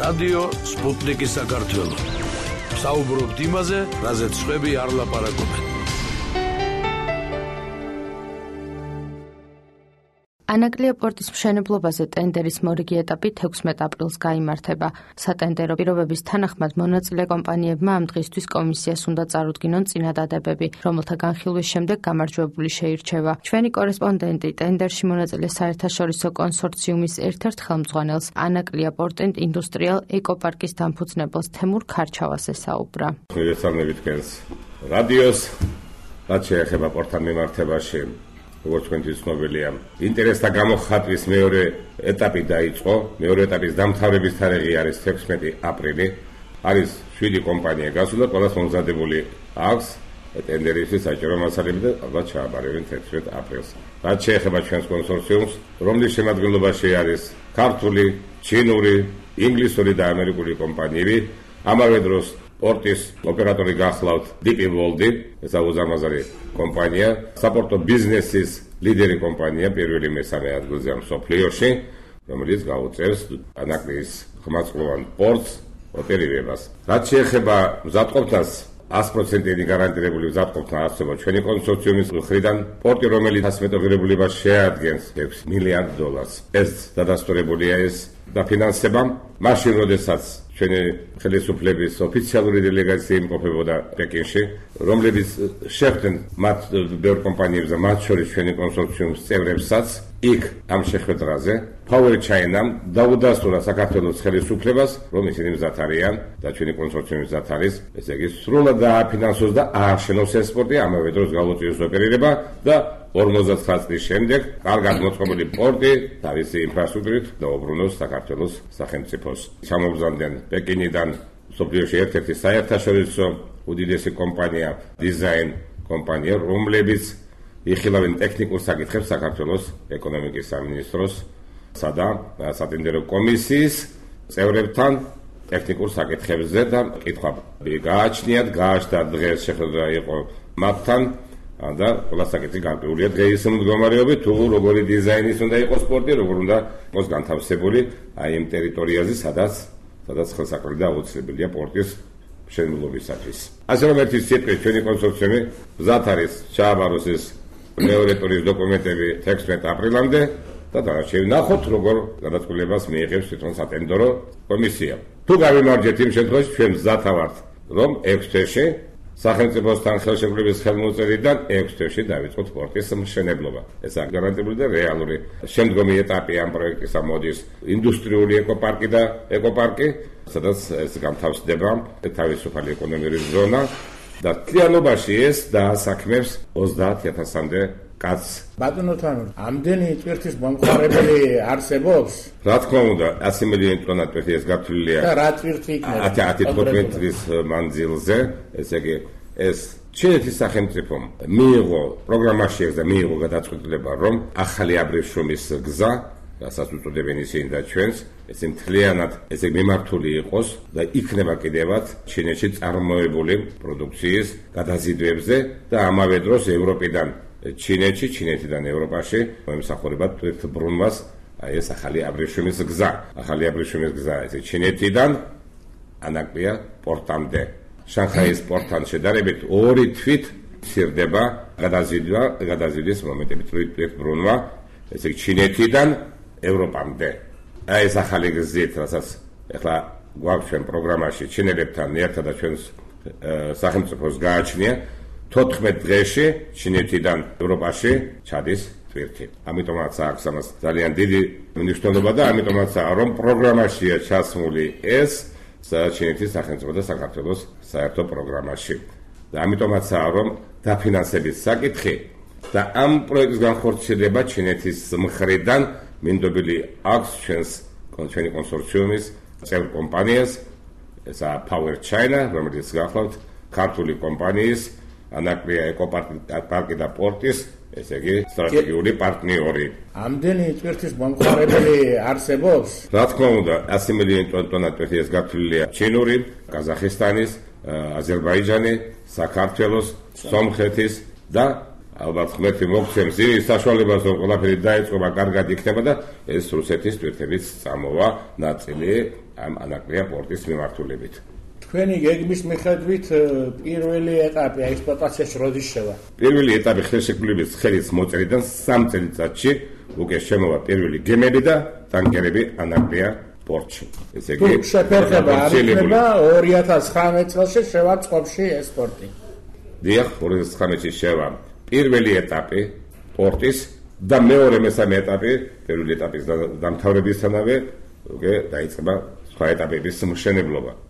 რადიო სპუტნიკის საქართველო. საუბრობთ იმაზე, რაზეც სხვები არ ლაპარაკობენ. ანაკლია პორტის მშენებლობაზე ტენდერის მორიგი ეტაპი 16 აპრილს გაიმართება. სატენდერო პირობების თანახმად მონაწილე კომპანიებმა ამ დღისთვის კომისიას უნდა წარუდგინონ წინადადებები, რომელთა განხილვის შემდეგ გამარჯვებული შეირჩევა. ჩვენი კორესპონდენტი ტენდერში მონაწილე საერთაშორისო კონსორციუმის ერთ-ერთ ხელმძღვანელს ანაკლია პორტ ინდუსტრიალ ეკოპარკის დამფუძნებელს თემურ ქარჩავას ესაუბრა. მოგესალმებით თქვენს რადიოს, რაც შეეხება პორტთან მიმართებაში. როგორც თქვენთვის ცნობილია, ინტერესთა გამოხატვის მეორე ეტაპი დაიწყო. მეორე ეტაპის დამთავრების თარიღი არის 16 აპრილი. არის 7 კომპანია გასულა, ყველას მომზადებული აქვს ტენდერისთვის საჭირო მასალები და ალბათ ჩააბარებენ 16 აპრილს. რაც შეეხება ჩვენს კონსორციუმს, რომლის შემადგენლობაში არის ქართული, ჩინური, ინგლისური და ამერიკული კომპანიები, ამავე დროს პორტის ოპერატორი გახლავთ DP World, ეს უზარმაზარი კომპანია, საპორტო ბიზნესის ლიდერი კომპანია, პირველი მესამე ადგილზე მსოფლიოში, რომელიც გაუწევს ანაკლიის ხმაწყლოვან პორტს ოპერირებას. რაც შეეხება მზადყოფნას, 100%-იანი გარანტირებული მზადყოფნა არსება ჩვენი კონსორციუმის მხრიდან, პორტი, რომელიც ასმეტოღირებულებას შეადგენს $6 მილიარდ. ეს დადასტურებულია ეს დაფინანსება, მაშინ როდესაც ჩვენი ხელისუფლების ოფიციალური დელეგაცია იმყოფებოდა პეკინში, რომლებიც შეხვდნენ მათ ბევრ კომპანიებს და მათ შორის ჩვენი კონსორციუმის წევრებსაც, იქ ამ შეხვედრაზე Power China-მ დაუდასტურა საქართველოს ხელისუფლებას, რომ ისინი მზად არიან და ჩვენი კონსორციუმი მზად არის, ესე იგი სრულად დააფინანსოს და ააშენოს ეს პორტი, ამავე დროს გაუწიოს ოპერირება და 59 წლის შემდეგ კარგად მოწყობილი პორტი თავისი ინფრასტრუქტურით დაუბრუნოს საქართველოს სახელმწიფოს. ჩამოგზავნდნენ პეკინიდან მსოფლიოში ერთ-ერთი საერთაშორისო უდიდესი კომპანია, დიზაინ კომპანია, რომლებიც იხილავენ ტექნიკურ საკითხებს საქართველოს ეკონომიკის სამინისტროს და სატენდერო კომისიის წევრებთან ტექნიკურ საკითხებზე და კითხვა გააჩნიათ, გააჩნდა დღეს შეხვედრა იყო მათთან და ყველა საკითხი განპირობებულია დღეის მდგომარეობით, თუ როგორი დიზაინის უნდა იყოს პორტი, როგორ უნდა იყოს განთავსებული აი იმ ტერიტორიაზე, სადაც ხელსაყრელი და აუცილებელია პორტის მშენებლობისათვის. ასე რომ ერთი სიტყვით ჩვენი კონსორციუმი მზად არის ჩააბაროს ეს მეორე ტურის დოკუმენტები 16 აპრილამდე და დანარჩენი ნახოთ, როგორ გადაწყვეტილებას მიიღებს თვითონ სატენდერო კომისია. თუ გავიმარჯვეთ იმ შემთხვევაში, ჩვენ მზად ვართ, რომ 6 თვეში სახელმწიფოსთან ხელშეკრულების ხელმოწერიდან 6 თვეში დავიწყოთ პორტის მშენებლობა. ესაა გარანტირებული და რეალური. შემდგომი ეტაპი ამ პროექტისა მოდის ინდუსტრიული ეკოპარკი და ეკოპარკი, სადაც ეს განთავსდება თავისუფალი ეკონომიკური ზონა და თლიანობაში ეს დაასაქმებს 30,000-მდე კაცს. ბატონო თან, ამდენი ტვირთის მომხმარებელი არსებობს? რა თქმა უნდა, 100 მილიონი ტონა ტვირთი ეს გათვლილია. და რა ტვირთი იქნება? 10-15 წლის მანძილზე, ესე იგი ეს ჩინეთის სახელმწიფომ მიიღო პროგრამაში და მიიღო გადაწყვეტილება, რომ ახალი აბრეშუმის გზა, რასაც უწოდებენ ისინი და ჩვენს, ეს მთლიანად ესე მიმართული იყოს და იქნება კიდევაც ჩინეთში წარმოებული პროდუქციის გადაზიდვებზე და ამავე დროს ევროპიდან ჩინეთში, ჩინეთიდან ევროპაში მომსახურება თვითბრუნვას აი ეს ახალი აბრეშუმის გზა. ახალი აბრეშუმის გზა ესე ჩინეთიდან ანაკლია პორტამდე. შანხაის პორტთან შედარებით 2 თვით მცირდება გადაზიდვის მომენტები თვითბრუნვა ესე ჩინეთიდან ევროპამდე. აი ეს ახალი გზით, რასაც ახლა გვაქვს ჩვენ პროგრამაში ჩინელებთან ერთად და ჩვენს სახელმწიფოს გააჩნია 14 დღეში ჩინეთიდან ევროპაში ჩადის ტვირთი. ამიტომაც აქვს ამას ძალიან დიდი მნიშვნელობა და ამიტომაცაა რომ პროგრამაშია ჩასმული ეს ჩინეთის სახელმწიფო და საქართველოს საერთო პროგრამაში. და ამიტომაცაა რომ დაფინანსების საკითხი და ამ პროექტის განხორციელება ჩინეთის მხრიდან მინდობილი აქვს ჩვენი კონსორციუმის წევრ კომპანიას, ესაა Power China, რომელიც გახლავთ ქართული კომპანიის ანაკლია ეკოპარკი და პორტის, ესე იგი სტრატეგიული პარტნიორი. ამდენი ტვირთის მომხმარებელი არსებობს? რა თქმა უნდა, 100 მილიონი ტონა ტვირთი ეს გათვლილია ჩინური, ყაზახისტანის, აზერბაიჯანი, საქართველოს, სომხეთის და ალბათ ღმერთი მოგცემს იმის საშუალებას, რომ ყველაფერი დაიწყება, კარგად იქნება და ეს რუსეთის ტვირთებიც წამოვა ნაწილი ამ ანაკლია პორტის მიმართულებით. თქვენი გეგმის მიხედვით პირველი ეტაპი ექსპლუატაციაში როდის შევა? პირველი ეტაპი ხელშეკრულების ხელის მოწერიდან 3 წელიწადში უკვე შემოვა პირველი გემები და ტანკერები ანაკლია პორტში. ესე იგი, შეფერხება არ იქნება 2019 წელს შევა წყობაში ეს პორტი. დიახ, 2019-ში შევა პირველი ეტაპი პორტის და მეორე მესამე ეტაპი, პირველი ეტაპის დამთავრებისთანავე უკვე დაიწყება სხვა ეტაპების მშენებლობა.